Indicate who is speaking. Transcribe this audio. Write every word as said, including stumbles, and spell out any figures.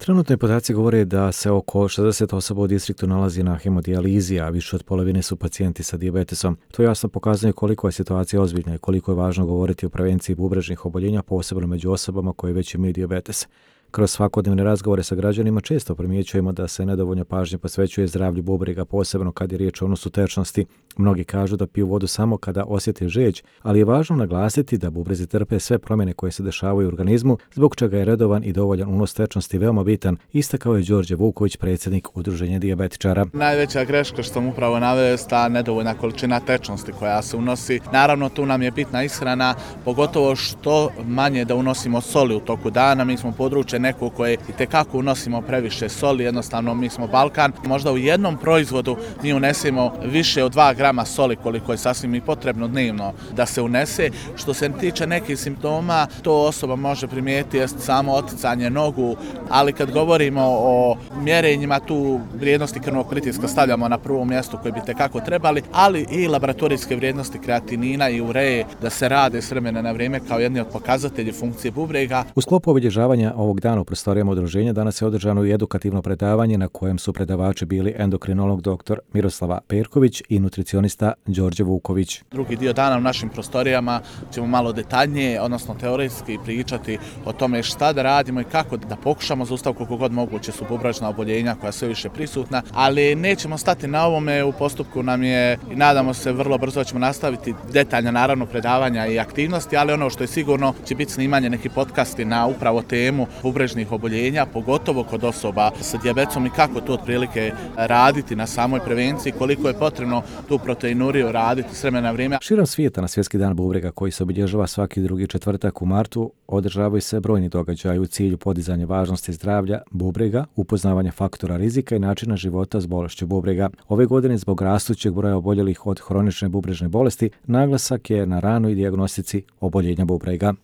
Speaker 1: Trenutni podaci govore da se oko šezdeset osoba u distriktu nalazi na hemodijalizi, a više od polovine su pacijenti sa dijabetesom. To jasno pokazuje koliko je situacija ozbiljna i koliko je važno govoriti o prevenciji bubrežnih oboljenja, posebno među osobama koje već imaju dijabetes. Kroz svakodnevne razgovore sa građanima često primjećujemo da se nedovoljno pažnje posvećuje zdravlju bubrega, posebno kad je riječ o unosu tečnosti. Mnogi kažu da piju vodu samo kada osjete žeđ, ali je važno naglasiti da bubrezi trpe sve promjene koje se dešavaju u organizmu, zbog čega je redovan i dovoljan unos tečnosti veoma bitan, istakao je Đorđe Vuković, predsjednik Udruženja dijabetičara.
Speaker 2: Najveća greška što sam upravo naveo je ta nedovoljna količina tečnosti koja se unosi. Naravno, tu nam je bitna ishrana, pogotovo što manje da unosimo soli u toku dana. Mi smo područje neko koje itekako unosimo previše soli, jednostavno mi smo Balkan. Možda u jednom proizvodu mi unesemo više od dva grama soli koliko je sasvim i potrebno dnevno da se unese. Što se tiče nekih simptoma, to osoba može primijetiti jest samo oticanje nogu, ali kad govorimo o mjerenjima, tu vrijednosti krvnog pritiska stavljamo na prvo mjesto koje bi itekako trebali, ali i laboratorijske vrijednosti kreatinina i ureje da se rade s vremena na vrijeme kao jedni od pokazatelji funkcije bubrega.
Speaker 1: U sklopu obilježavanja ovog dana u prostorijama udruženja danas je održano i edukativno predavanje na kojem su predavači bili endokrinolog dr. Miroslava Perković i nutricionista Đorđe Vuković.
Speaker 2: Drugi dio dana u našim prostorijama ćemo malo detaljnije, odnosno teoretski pričati o tome šta da radimo i kako da pokušamo zaustaviti koliko god moguće su bubrežna oboljenja koja sve više prisutna, ali nećemo stati na ovome, u postupku nam je i nadamo se vrlo brzo ćemo nastaviti detaljna naravno predavanja i aktivnosti, ali ono što je sigurno će biti snimanje neki podcasti na upravo temu bubrežnih oboljenja, pogotovo kod osoba sa dijabetesom i kako to otprilike raditi na samoj prevenciji, koliko je potrebno tu proteinuriju raditi s vremena na vrijeme.
Speaker 1: Širom svijeta na Svjetski dan bubrega koji se obilježava svaki drugi četvrtak u martu održavaju se brojni događaji u cilju podizanja važnosti zdravlja bubrega, upoznavanja faktora rizika i načina života s bolešću bubrega. Ove godine zbog rastućeg broja oboljelih od hronične bubrežne bolesti naglasak je na ranoj dijagnostici oboljenja bubrega.